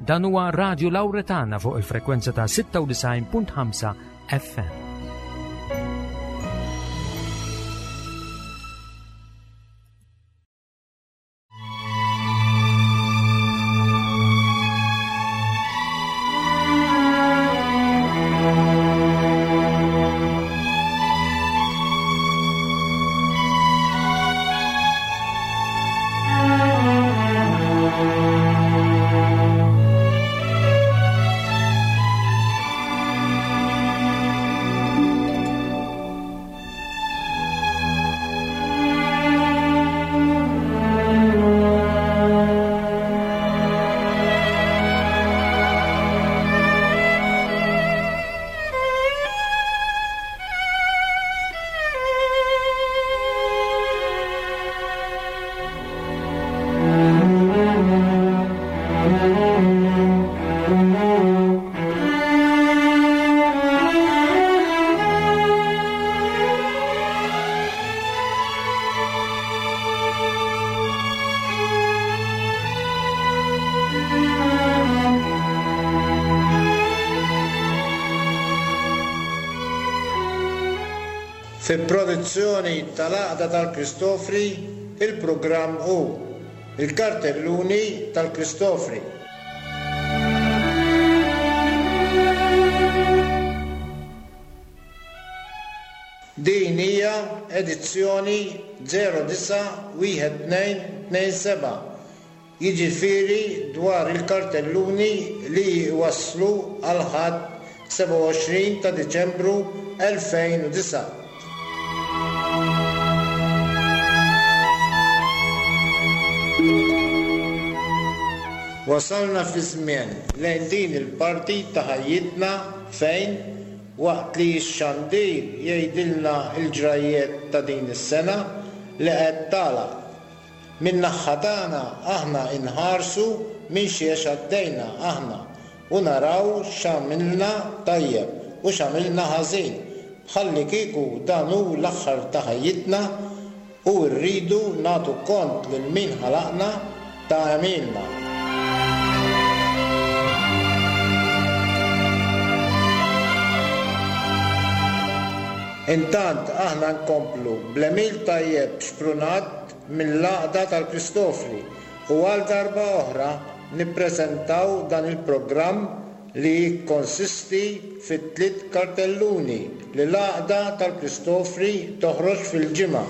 Dan huwa Radio Lauretana fuq il-frekwenza ta' 96.5 FM. Fi produzzjoni tal-Għaqda tal-Kristofri, il-programm hu Il-Kartelluni tal-Kristofri. Din hija edizzjoni 091227, jiġifieri dwar il-kartelluni li jwasslu għall-Ħadd 27 ta' Diċembru 2009. Wasalna fi żmien lejn din il-parti ta' ħajjitna fejn, waqt li x-xandir jgħidilna l-ġrajjiet ta' din is-sena li qed tagħlaq, min-naħha tagħna aħna inħarsu minn xiex għaddejna aħna u naraw x'għamilna tajjeb u x'għamilna ħażin, bħallikieku dan hu l-aħħar ta' ħajjitna u rridu nagħtu kont lil min ħalaqna ta' għemilna. Intant aħna nkomplu bl-għemil tajjeb xprunat mill-Għaqda tal-Kristofri u għal darba oħra nippreżentaw dan il-programm li jikkonsisti fi tliet kartelluni li l-Għaqda tal-Kristofri toħroġ fil-ġimgħa.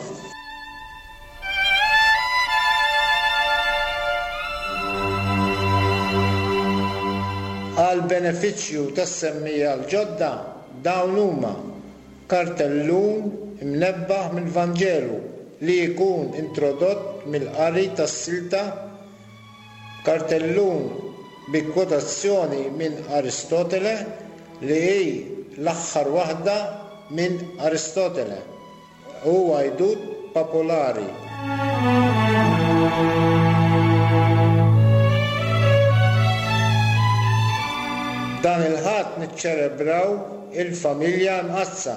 Għall-benefiċċju tas-semmiegħa l-ġodda, dawn huma, kartellun imnebbaħ mill-Vanġelu li jkun introdott mill-qari tas-silta, kartellun bi kwotazzjoni minn Aristotele li hi l-aħħar waħda minn Aristotele u għajdut popolari. Dan il-Ħadd niċċelebraw il-Familja Mqaddsa.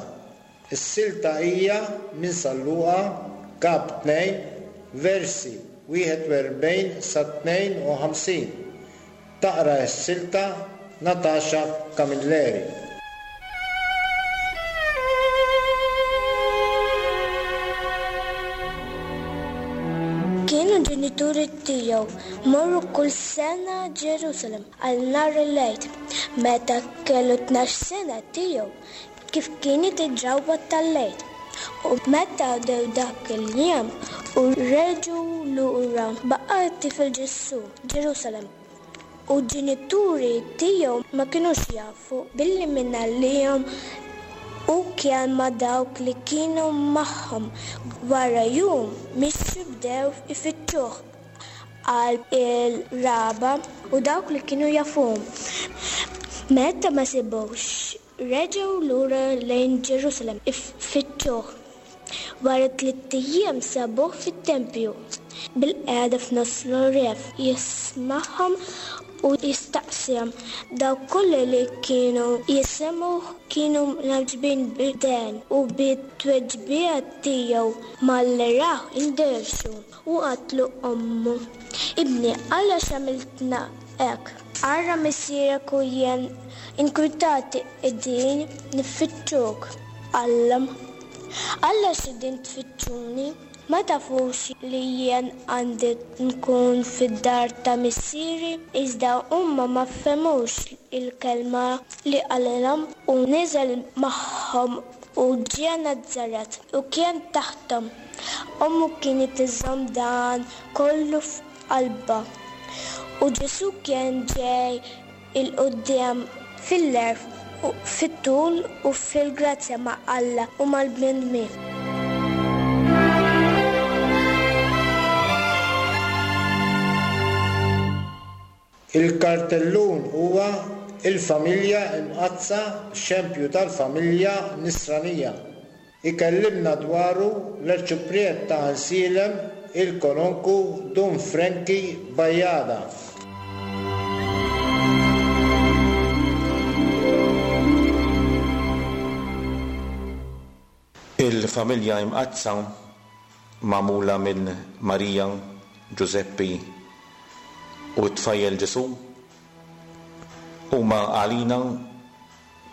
Is-silta hija minn San Luqa, Kap 2, versi 41 sa 52. Taqra s-silta Natasha Camilleri. Kienu ġenituri tiegħu morru kull sena Ġerusalemm għal nhar il-Għid. Meta kellu 12 sena tiegħu, kif kienet id-drawwa tal-Għid. U meta għaddew dak il-jiem u reġgħu lura, baqa' t-tifel Ġesù Ġerusalemm. U l-ġenituri tiegħu ma kinux jafu billi mingħalihom hu kien ma' dawk li kienu magħhom. Wara jum mixu bdew ifittxuh qalb il-raba' u dawk li kienu jafuhom. Meta ma sibuhx, Reġgħu lura lejn Ġerusalemm ifittxuh. Wara tlitt ijiem sabuh fit-tempju, bilqiegħda f'nofs l-għorrief, jismagħhom u jistaqsihom. Dawk kollha li kienu jisimgħuh kienu mgħaġġbin bid-dehen u bit-tweġiba tiegħu. Malli rawh indehxu u qatlu ommu. Ibni, għalax għamiltna? hekk, Ara missierek u jien inkwitati qegħdin niffittxuk. Qallhom, Għalax qegħdin tfittxuni? Ma tafux li jien għandi nkun fid-dar ta' Missieri? Iżda huma ma fehmux il-kelma li qalilhom. U niżel magħhom u ġie Nazaret, u kien taħthom. Ommu kienet iżżomm dan kollu f'qalbha. U Ġesù kien ġej 'il quddiem fil-għerf, fit-tul u fil-grazzja ma' Alla u mal-bnedmin. Il-kartellun huwa Il-Familja Imqaddsa, xempju tal-familja Nisranija. Ikellimna dwaru l-Arċipriet ta' Għajnsielem, il-Kononku Dun Frankie Bajada. Il-Familja Imqaddsa magħmula minn Marija, Ġużeppi u t-tfajjel Ġesù huma għalina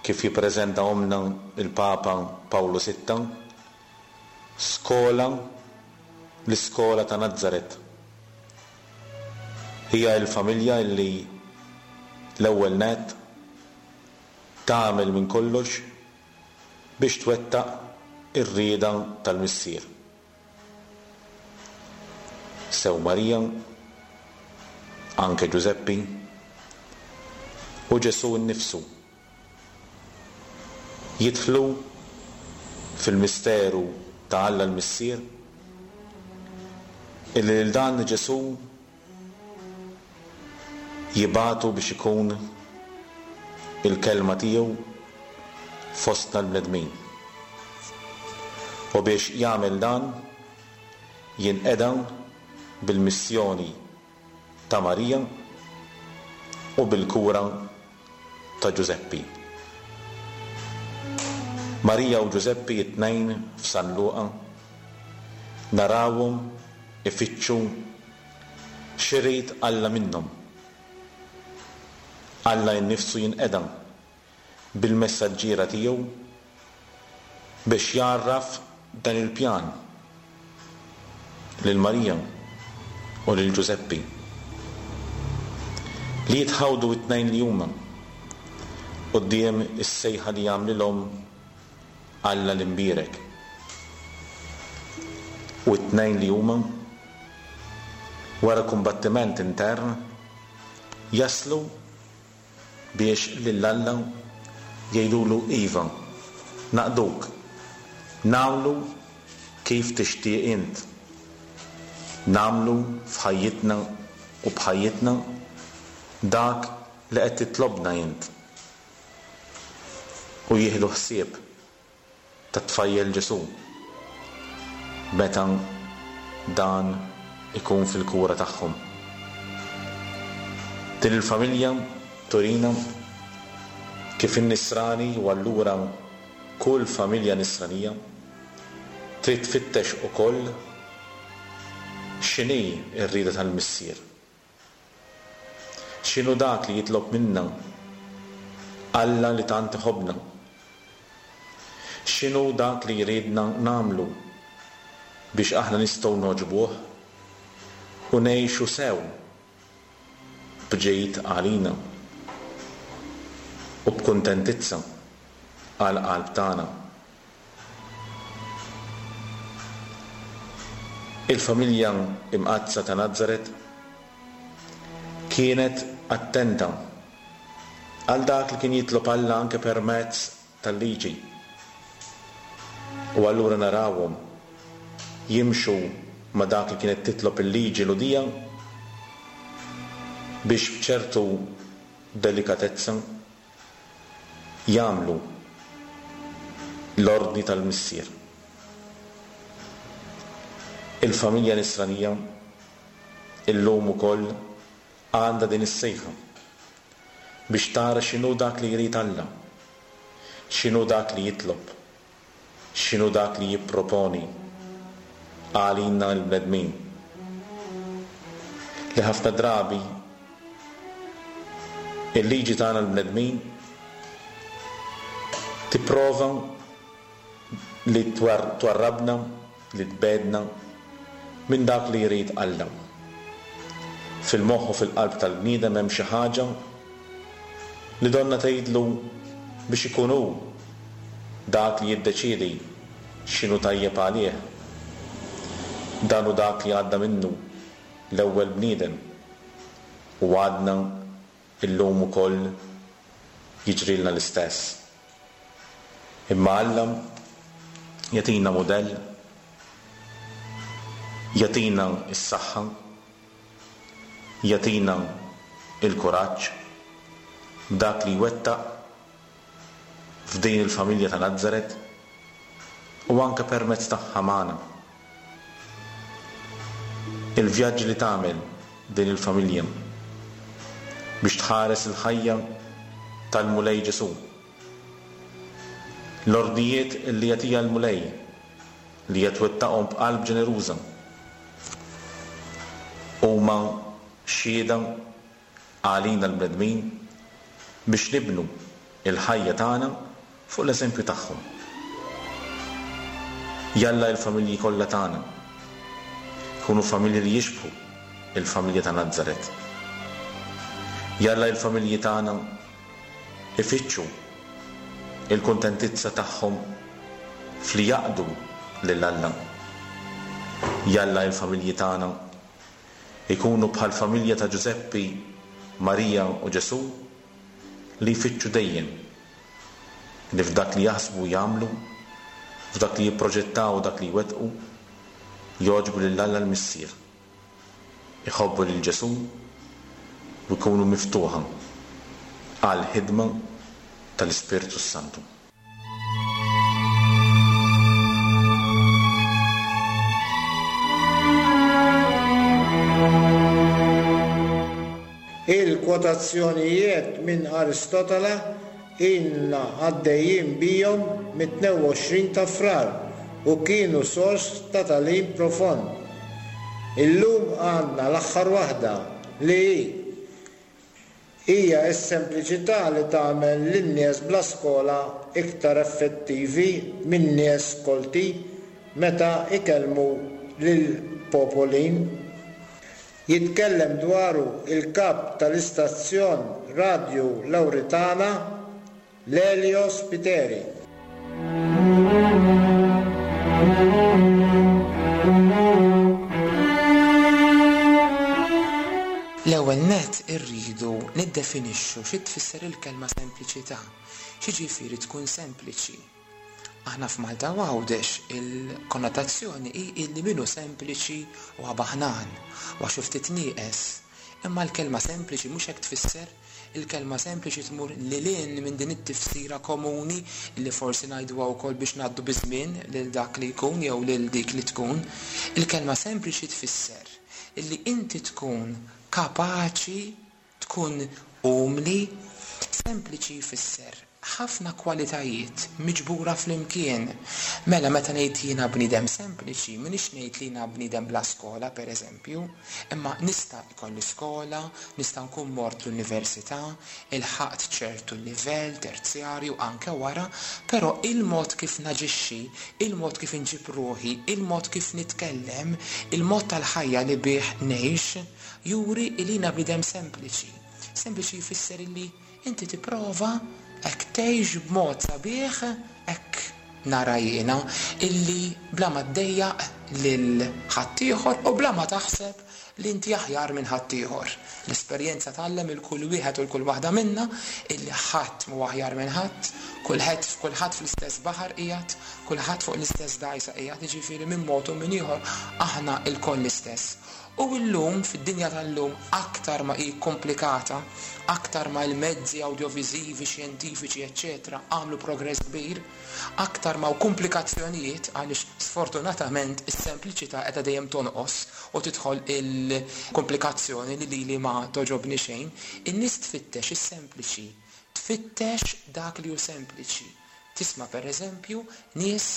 kif jippreżentahomlna l-Papa Pawlu Sitta, skola, l-iskola ta' Nazaret. Hija l-familja li l-ewwel nett tagħmel minn kollox biex twettaq ir-rieda tal-Missier. Sew Marija, anke Ġużeppi, u Ġesù nnifsu jidħlu fil-misteru ta' Alla l-Missier, illi lil dan Ġesù jibagħtu biex ikun il-Kelma tiegħu fostna l-bnedmin. U biex jagħmel dan, jinqeda bil-missjoni ta' Marija u bil-kura ta' Ġużeppi. Marija u Ġużeppi t-tnejn f'San Luqa narawhom ifittxu x'irid Alla minnhom. Alla innifsu jinqeda bil-messaġġiera tiegħu biex jgħarraf dan il-pjan lil Marija u lil Ġużeppi, li jitħawdu t-tnejn li huma quddiem is-sejħa li jagħmlilhom Alla l-Imbierek. U t-tnejn li huma, wara kumbattiment intern, jaslu biex lil Alla jgħidulu iva, naqduk, nagħmlu kif tixtieq int, nagħmlu f'ħajjitna u b'ħajjitna dak li qed titlobna int. U jieħdu ħsieb tat-tfajjel Ġesù meta dan ikun fil-kura tagħhom. Din il-familja turina kif in-Nisrani u allura kull familja Nisranija trid tfittex ukoll x'inhi r-rieda tal-Missier. X'inhu dak li jitlob minna Alla li tant iħobbna? X'inhu dak li jridna nagħmlu biex aħna nistgħu nogħġbuh u ngħixu sew b'ġid għalina u b'kuntentizza għall-qalb tagħna? Il-familja Imqaddsa ta' Nazaret kienet attenta għal dak li kien jitlob Alla anke permezz tal-Liġi. U allura narawhom jimxu ma' dak li kienet titlob il-Liġi Lhudija biex b'ċertu delikatezza jagħmlu l-ordni tal-Missier. Il-familja Nisranija illum ukoll għandha din is-sejħa biex tara x'inhu dak li jrid Alla, x'inhu dak li jitlob, x'inhu dak li jipproponi għalina l-bnedmin, li ħafna drabi. Il-liġi tagħna l-bnedmin tipprova li twarrabna, li tbegħdna minn dak li jrid Alla. Fil-moħħ u fil-qalb tal-bniedem hemm xi ħaġa li donnha tgħidlu biex ikun hu dak li jiddeċiedi x'inhu tajjeb għalih. Dan hu dak li għadda minnu l-ewwel bniedem u għadna illum ukoll jiġrilna l-istess. Imma Alla jagħtina mudell, jagħtina s-saħħa, jagħtina l-kuraġġ b'dak li jwettaq f'din il-familja ta' Nazaret u anke permezz tagħha magħna. Il-vjaġġ li tagħmel din il-familja biex tħares il-ħajja tal-Mulej Ġesù. L-ordnijiet li jagħtiha l-Mulej li hija twettaqhom b'qalb ġeneruża huma xhieda għalina l-bnedmin biex nibnu l-ħajja tagħna fuq l-eżempju tagħhom. Jalla l-familji kollha tagħna jkunu familji li jixbħu l-familja ta' Nazaret. Jalla l-familji tagħna ifittxu l-kuntentizza tagħhom f'li jaqdu lil Alla. Jalla l-familji tagħna jkunu bħall-familja ta' Ġużeppi, Marija u Ġesù li jfittxu dejjem li f'dak li jaħsbu u jagħmlu, f'dak li jipproġettaw u dak li jwettqu, jogħġbu lil Alla l-Missier. Iħobbu lil Ġesù u jkunu miftuħa għall-ħidma tal-Ispirtu s-Santu. Il-kwotazzjonijiet minn Aristotele ilna għaddejjin bihom mit-22 ta' Frar u kienu sors ta' tagħlim profond. Illum għandna l-aħħar waħda, li hi, Hija s-sempliċità li tagħmel lin-nies bla skola iktar effettivi minn nies kolti meta jkellmu lill-popolin. Jitkellem dwaru il-kap tal-istazzjon Radju Lawritana, Lelio Spiteri. L-ewwel nett irridu niddefinixxu xi tfisser il-kelma sempliċità. X'jiġifieri tkun sempliċi? Aħna f'Malta u Għawdex il-konnotazzjoni hi illi min hu sempliċi huwa baħnan, huwa xi ftit nieqes. Imma l-kelma sempliċi mhux hekk tfisser. Il-kelma sempliċi tmur lil hinn minn din it-tifsira komuni li forsi ngħiduha wkoll biex ngħaddu biż-żmien lil dak li jkun jew lil dik li tkun. Il-kelma sempliċi tfisser illi inti tkun kapaċi tkun umli. Sempliċi jfisser ħafna kwalitajiet miġbura flimkien. Mela meta ngħid jiena bniedem sempliċi, m'iniex ngħid li jiena bniedem bla skola, per eżempju, imma nista' jkolli skola, nista' nkun mort l-università, ilħaqt ċertu livell terzjarju anke wara, però il-mod kif naġixxi, il-mod kif inġib ruħi, il-mod kif nitkellem, il-mod tal-ħajja li bih ngħix, juri li jiena bniedem sempliċi. Sempliċi jfisser illi Inti tipprova hekk tgħix b'mod sabiħ, hekk nara jiena, illi bla ma ddejjaq lil ħaddieħor u bla ma taħseb li inti aħjar minn ħaddieħor. L-esperjenza tgħallem lil kull wieħed u 'l kull waħda minna illi ħadd mhu aħjar minn ħadd, kulħedd kulħadd fl-istess baħar qiegħed, kulħadd fuq l-istess dgħajsa qiegħed, jiġifieri min mod u min ieħor aħna lkoll l-istess. U llum, fid-dinja tal-lum, aktar ma hi kkumplikata, aktar ma l-mezzi awdjoviżivi, xjentifiċi, eċċetera għamlu progress kbir, aktar ma hawn kumplikazzjonijiet għaliex sfortunatament is-sempliċità qiegħda dejjem tonqos u tidħol il-kumplikazzjoni li lili ma togħġobni xejn. In-nies tfittex is-sempliċi, tfittex dak li hu sempliċi. Tisma' per eżempju nies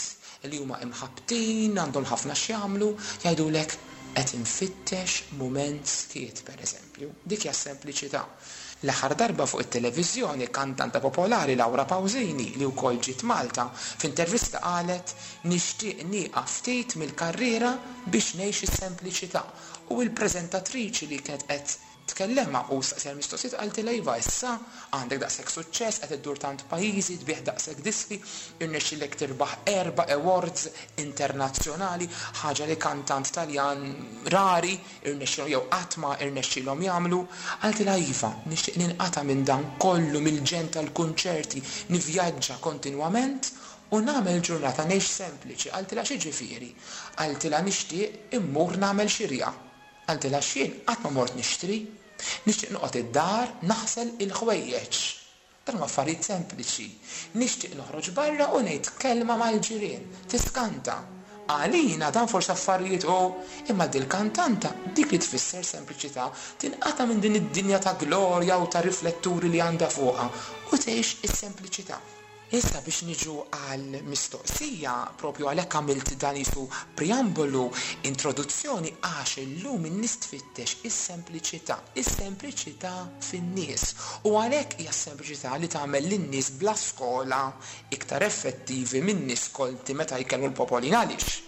li huma imħabbtin, għandhom ħafna x'jagħmlu, jgħidulek qed infittex mument skiet per eżempju. Dik hija s-sempliċità. L-aħħar darba fuq it-televiżjoni kantanta popolari Laura Pausini li wkoll ġiet Malta, f'intervista qalet nixtieq nieqaf ftit mill-karriera biex ngħix is-sempliċità u l-preżentatriċi li kienet qed Tkellimha u staqsiha l-mistoqsijiet qaltilha iva issa għandek daqshekk suċċess, qed iddur tant pajjiżi, tbigħ daqshekk diski, irnexxielek tirbaħ erba' awards internazzjonali, ħaġa li kantant Taljan rari rnexxielhom jew qatt ma rnexxielhom jagħmlu. Qaltilha iva, nixtieq ninqata' minn dan kollu, mill-ġenn tal-kunċerti, nivvjaġġa kontinwament u nagħmel ġurnata ngħix sempliċi. Qaltilha x'jiġifieri? Qaltilha nixtieq immur nagħmel xirja. Qaltilha x'jien qatt ma mort nixtri. Nixtieq noqgħod id-dar naħsel il-ħwejjeġ. Dan huma affarijiet sempliċi. Nixtieq noħroġ barra u ngħid kelma mal-ġirien. Tiskanta. Għalina dan forsi affarijiet u imma dil-kantanta dik li tfisser sempliċità, tinqata' minn din id-dinja ta' glorja u ta' rifletturi li għandha fuqha u tgħix is-sempliċità. Issa biex niġu għall-mistoqsija, propju għalhekk għamilt dan qisu preambolu, introduzzjoni, għax illum in-nies tfittex is-sempliċità, is-sempliċità fin-nies. U għalhekk hija s-sempliċità li tagħmel lin-nies bla skola iktar effettivi min-nies kolti meta jkellmu l-popolin. Għaliex?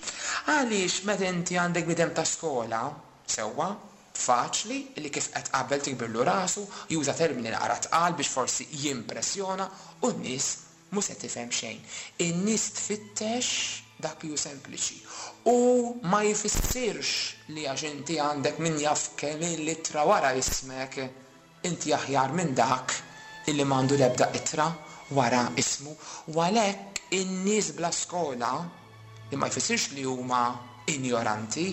Għaliex meta inti għandek bniedem ta' skola, sewwa, Faċli li kif qed qabel tikbirlu rasu, juża termini naqra tqal biex forsi jimpressjona u n-nies mhu se tifhem xejn. In-nies tfittex dak li hu sempliċi. U ma jfissirx li għax inti għandek min jaf kemm-il ittra wara ismek, inti aħjar minn dak illi m'għandu l-ebda ittra wara ismu. U għalhekk in-nies bla skola, li ma jfissirx li huma injoranti,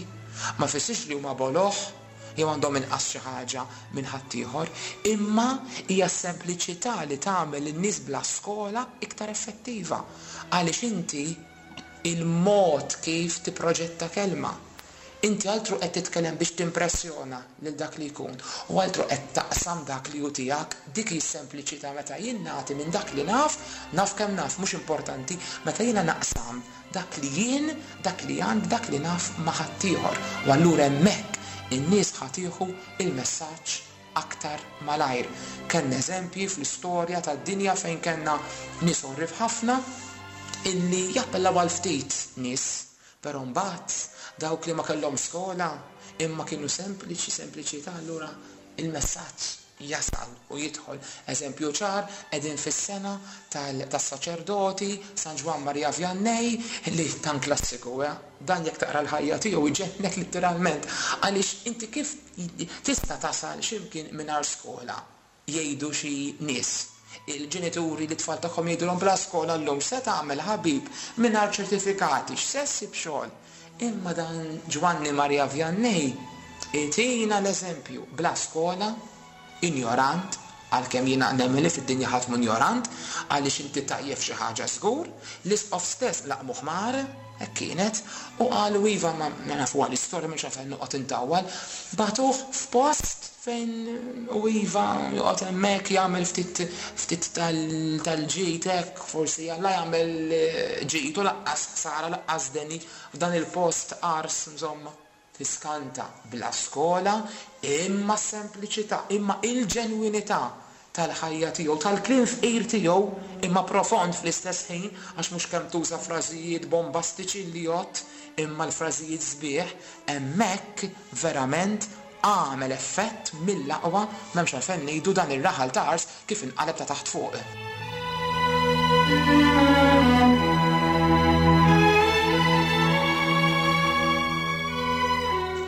ma jfissirx li huma boloh jew għandhom inqas xi ħaġa minn ħaddieħor, imma hija s-sempliċità li tagħmel lin-nies bla skola iktar effettiva. Għaliex inti il-mod kif tipproġetta kelma. Inti altru qed titkellem biex timpressjona lil dak li jkun u altru qed taqsam dak li hu tiegħek. Dik hi s-sempliċità meta jien nagħti minn dak li naf, naf kemm naf mhux importanti, meta jiena naqsam dak li jien, dak li għandi, dak li naf ma' ħaddieħor. U allura hemmhekk in-nies ħa tieħu l-messaġġ aktar malajr. Kellna eżempji fl-istorja tad-dinja fejn kellna nies għorrief ħafna illi jappellaw għal ftit nies. Però mbagħad dawk li ma kellhomx skola imma kienu sempliċi, sempliċità, allura il-messaġġ jasal u jidħol. Eżempju ċar, qegħdin fis-sena tas-saċerdoti, San Ġwann Maria Vianney, li dan klassiku, eh? Dan jekk taqra l-ħajja tiegħu jġennek litteralment. Għaliex inti kif tista' tasal xi mkien mingħajr skola? Jgħidu xi nies. Il-ġenituri lit-tfal tagħhom jgħidulhom bla skola llum x'se tagħmel ħabib mingħajr ċertifikati, x'se ssib xogħol? Imma dan Ġwanni Maria Vianney itina l-eżempju, bla skola, injorant, għalkemm jiena nemmen li fid-dinja ħadd mhu injorant, għaliex inti tajjeb f'xi ħaġa żgur, l-isqof stess laqmu ħmar, hekk kienet, u qalu iva ma nafuha l-istorja m'hemmx għalfejn noqgħod intawwal, bagħtuh f'post Fejn u iva joqgħod hemmhekk jagħmel ftit ftit tal-ġid hekk, forsi Alla jagħmel ġid u lanqas ħsara lanqas deni f'dan il-post ars insomma. Tiskanta bla skola imma s-sempliċità, imma il-ġenwinità tal-ħajja tiegħu, tal-kliem fqir tiegħu imma profond fl-istess ħin għax mhux kemm tuża frażijiet bombastiċi li jgħodd imma l-frażijiet sbieħ, hemmhekk verament għamel effett mill-aqwa, m'hemmx għalfejn ngħidu dan ir-raħal ta' Ars kif inqaleb ta' taħt fuq.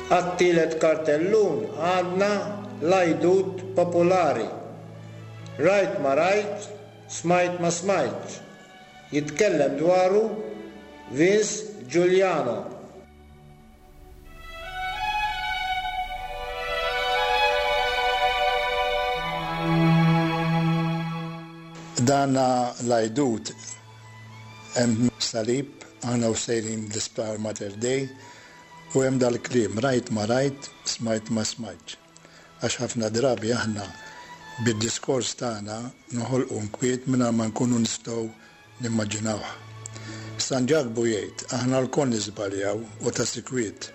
Għat-tielet kartellun għandna l-għajdut popolari, Rajt ma rajt, smajt ma smajtx. Jitkellem dwaru Vince Giuliano. Dana l-għajdut hemm salib aħna u sejrin l-isptar Mater Dei u hemm dal-kliem rajt ma rajt, smajt ma smajtx. Għax ħafna drabi aħna bid-diskors tagħna noħolqu nkwiet mingħajr ma nkunu nistgħu Nimmaġinawh. San Ġakbu jgħid, Aħna lkoll niżbaljaw, u ta' sikwit.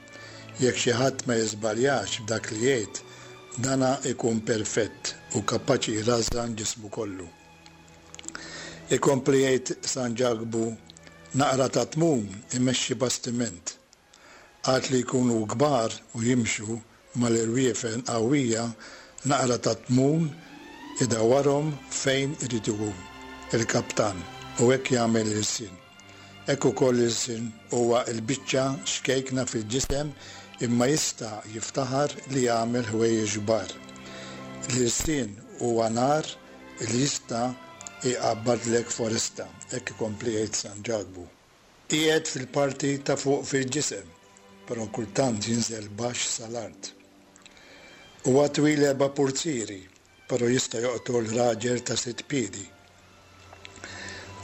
Jekk xi ħadd ma jiżbaljax f'dak li jgħid, dana ikun perfett. u kapaċi jrażżan ġismu kollu. Ikompli jgħid San Ġakbu, Naqra ta' tmun imexxi bastiment. Għad li jkunu kbar u jimxu mal-irwiefen qawwija, naqra ta' tmun idawwarhom fejn irid hu l-kaptan u hekk jagħmel l-ilsien. Hekk ukoll l-ilsien huwa l-biċċa xkejkna fil-ġisem imma jista' jiftaħar li jagħmel ħwejjeġ kbar. L-ilsien huwa nar li jista' jqabbadlek foresta, hekk ikompli jgħid San Ġakbu. Qiegħed fil-parti ta' fuq fil-ġisem, però kultant jinżel baxx sal-art. Huwa twil erba' purzieri, però jista' joqtol raġel ta' sitt piedi.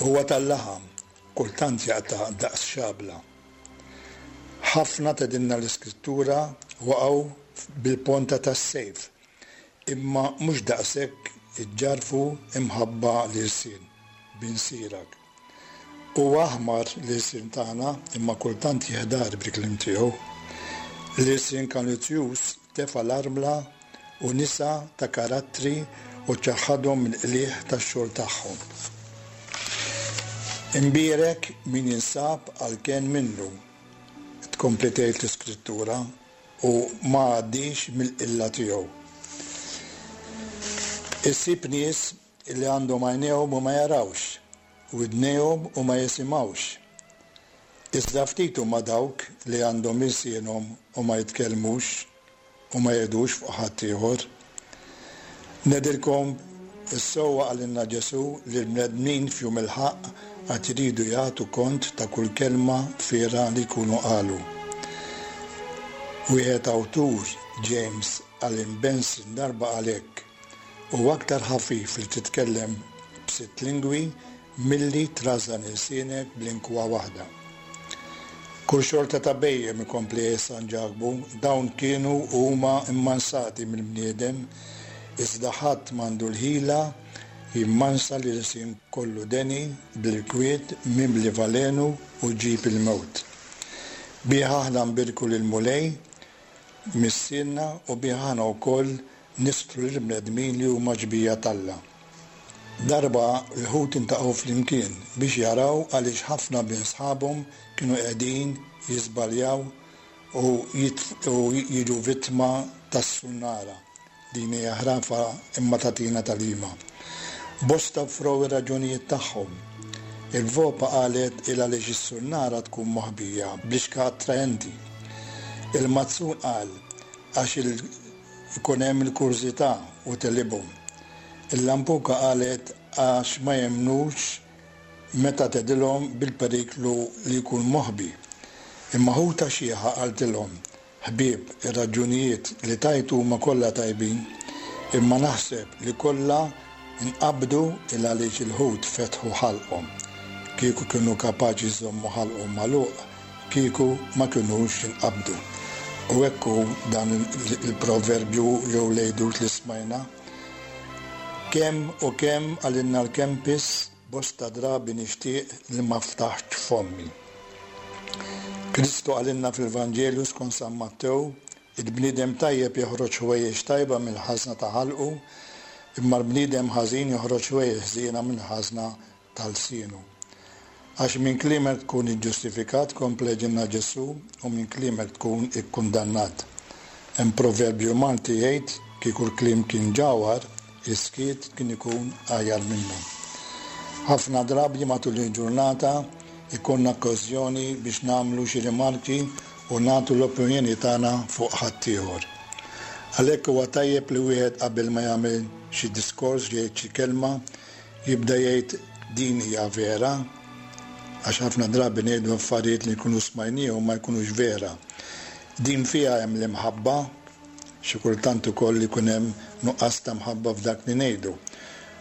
Huwa tal-laħam, kultant jaqta' daqs xabla. Ħafna, tgħidilna l-Iskrittura, waqgħu bil-ponta tas-sejf, imma mhux daqshekk iġġarrfu imħabba l-ilsien, bin Sirak. Huwa aħmar l-ilsien tagħna imma kultant jeħdar bil-kliem tiegħu. L-ilsien kalizzjuż tefa' l-armla u nisa ta' karattri u ċaħħadhom mill-qligħ tax-xogħol tagħhom. Imbierek min jinsab għall-kenn minnu, tkompli tgħid l-Iskrittura, u ma għaddiex mill-qilla tiegħu. Issib nies li għandhom għajnejhom u ma jarawx, widnejhom u ma jisimgħux. Iżda ftit huma dawk li għandhom ilsienhom u ma jitkellmux u ma jgħidux fuq ħaddieħor. Ngħidilkom is-sewwa qalilna Ġesù li l-bnedmin f'jum il-ħaqq għad iridu jagħtu kont ta' kull kelma fiergħa li jkunu qalu. Wieħed awtur, James Allen Benson darba qal hekk, Huwa aktar ħafif li titkellem b'sitt lingwi Milli trażżan ilsienek b'linkwa waħda. Kull xorta ta' bhejjem, ikompli jgħid San Ġakbu, dawn kienu u huma mmansati mill-bniedem, iżda ħadd m'għandu l-ħila jimmansa l-ilsien kollu deni, bl-irkwiet, mimli valenu u ġib il-mewt. Bih aħna nbierku lill-Mulej, Missierna, u bih aħna wkoll nistru lill-bnedmin li huma xbieha t'Alla. Darba l-Lhud intaqgħu flimkien biex jaraw għaliex ħafna minn sħabhom kienu qegħdin jiżbaljaw u jiġu vittma tas-sunnara. Din hija ħrafa imma tagħtina tagħlima. Bosta offrew ir-raġunijiet tagħhom. Il-vopa qalet il għaliex is-sunnara tkun moħbija b'lixka attraenti. Il-mazzun qal għax il Ikun hemm il-kurżità u tegħlibhom. Il-lampuka qalet għax ma jemmnux meta tgħidilhom bil-periklu li jkun moħbi. Imma ħuta xiħa qaltilhom, Ħbieb, ir-raġunijiet li tajtu huma kollha tajbin, imma naħseb li kollha nqabdu il għaliex il-ħut fetħu ħalqhom. Kieku kienu kapaċi jżommu ħalqhom magħluq, kieku ma kinux jinqabdu. U hekk hu dan il-proverbju jew l-għidut li smajna. Kemm u kemm qalilna l-Kempis, bosta drabi nixtieq li ma ftaħtx fommi. Kristu qalilna fil-Vanġelu skont San Mattew, Il-bniedem tajjeb joħroġ ħwejjeġ tajba mill-ħażna ta' ħalqu, imma l-bniedem ħażin joħroġ ħwejjeġ ħżiena mill-ħażna ta' lsienu. Għax minn kliemek tkun iġġustifikat, kompla jgħidilna Ġesù, u minn kliemek tkun ikkundannat. Hemm proverbju Malti jgħid, kieku l-kliem kien ġawhar, is-skiet kien ikun aħjar minnu. Ħafna drabi matul il-ġurnata jkollna okkażjoni biex nagħmlu xi rimarki u nagħtu l-opinjoni tagħna fuq ħaddieħor. Għalhekk huwa tajjeb li wieħed qabel ma jagħmel xi diskors jgħid xi kelma, Jibda jgħid din hija vera? Għax ħafna drabi ngħidu affarijiet li nkunu smajniehom ma jkunux vera. Din fiha hemm l-imħabba? Xi kultant ukoll ikun hemm nuqqas ta' mħabba f'dak li ngħidu.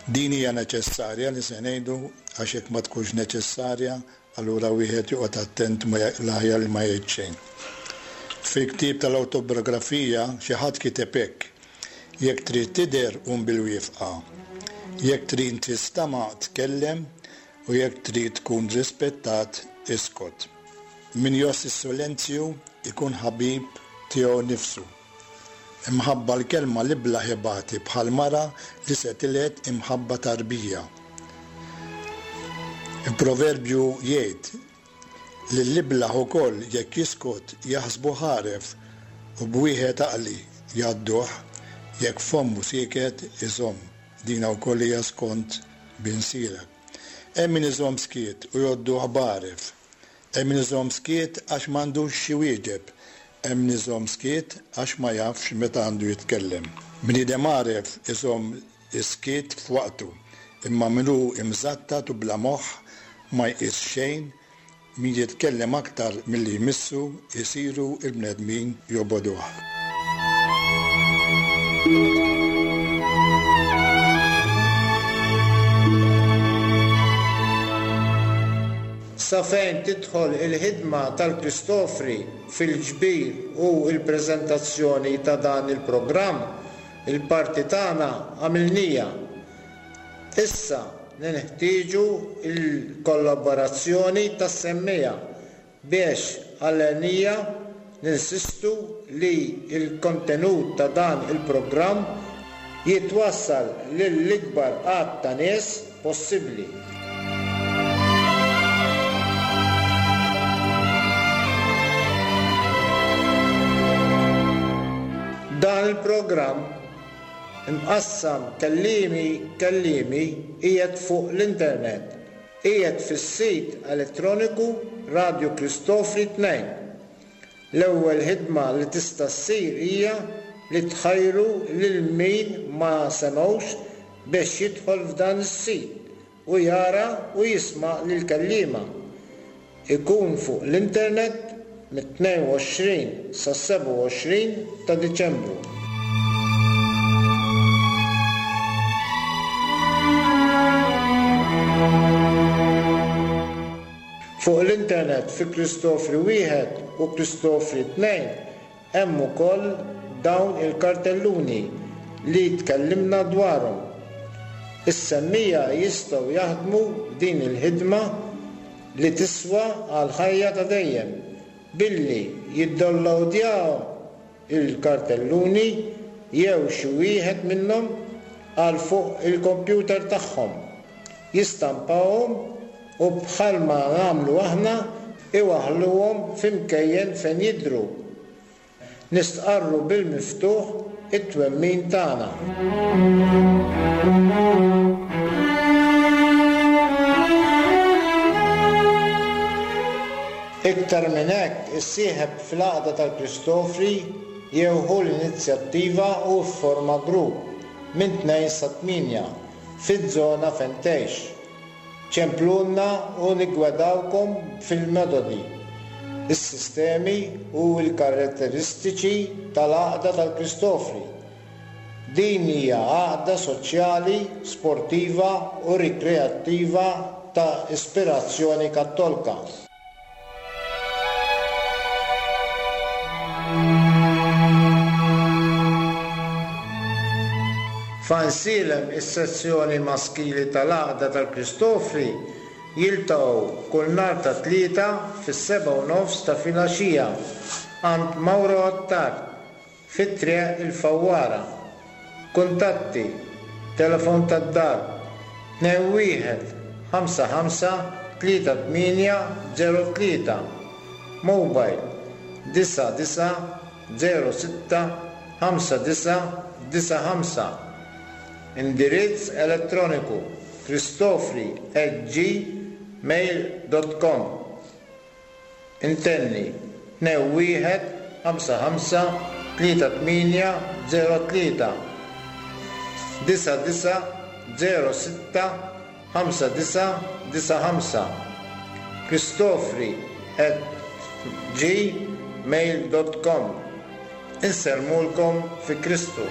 Din hija neċessarja li se ngħidu għax jekk ma tkunx neċessarja allura wieħed joqgħod attent l-aħjar li ma jgħid xejn. Fil-ktieb tal-awtobiografija xi ħadd kiteb hekk, Jekk trid tidher qum bil-wifqa. Jekk trid tistama' tkellem u jekk trid tkun rispettat iskot. Min jgħożż is-silenzju ikun ħabib tiegħu nnifsu. Imħabba l-kelma l-iblah ibati bħal mara li se tiled imħabba tarbija. Il-proverbju jgħid li l-iblah ukoll jekk jiskot jaħsbuh għaref u b'wieħed għaqli jgħadduh, jekk fommu sieket iżomm. Dina wkoll hija skont Bin Sirak. Hemm min iżomm skiet u jgħodduh b'għaref. Hemm min iżomm skiet għax m'għandux x'iwieġeb. Hemm min iżomm skiet għax ma jafx meta għandu jitkellem. Bniedem għaref iżomm is-skiet f'waqtu, imma min hu imżattat u bla moħħ ma jqis xejn, min jitkellem aktar milli jmissu jsiru l-bnedmin jobogħduh. Sa fejn tidħol il-ħidma tal-Kristofri fil-ġbir u l-preżentazzjoni ta' dan il-programm, il-parti tagħna għamilnija. Issa nenħtieġu l-kollaborazzjoni tas-semmiegħa biex għall-għenija ninsistu li l-kontenut ta' dan il-programm jitwassal lill-ikbar għadd ta' nies possibbli. Dan il-programm, imqassam kelliemi kelliemi, qiegħed fuq l-internet. Qiegħed fis-sit elettroniku Radio Cristofri 2. L-ewwel ħidma li tista' ssir hija li tħajru lil min ma semgħux bex jidħol f'dan is-sit u jara u jisma' lill-kelliema. Ikun fuq l-internet mit-22 sas-27 ta' Diċembru. Fuq l-internet fi Kristofri Wieħed u Kristofri Tnejn hemm ukoll dawn il-kartelluni li tkellimna dwarhom. Is-semmiegħa jistgħu jaħdmu f'din il-ħidma li tiswa għall-ħajja ta' dejjem billi jiddownlowdjaw il-kartelluni jew xi wieħed minnhom għal fuq il-kompjuter tagħhom, jistampawhom u bħalma nagħmlu aħna iwaħħluhom fi mkejjen fejn jidhru. Nistqarru bil-miftuħ it-twemmin tagħna. Iktar minn hekk, issieħeb fl-Għaqda tal-Kristofri jew ħu l-inizjattiva u fforma grupp, minn tnejn sa tmienja, fiż-żona fejn tgħix. Ċemplulna u niggwedawkom fil-metodi, is-sistemi u l-karatteristiċi tal-Għaqda tal-Kristofri. Din hija għaqda soċjali, sportiva u rikreattiva ta' ispirazzjoni Kattolka. F'Għajnsielem is-sezzjoni maskili tal-Għaqda tal-Kristofri jiltaqgħu kull nhar ta' Tlieta fis-sebgħa u nofs ta' filgħaxija għand Mauro Attard fi Triq il-Fawwara. Kuntatti, Telefon tad-dar, 21 55 38 03, Mobile, 99 06 59 95, Indirizz elettroniku, cristofri at gmail dot com. Intenni, 21 55 38 03 99 06 59 95 cristofri at gmail dot com Insellmulkom fi Kristu.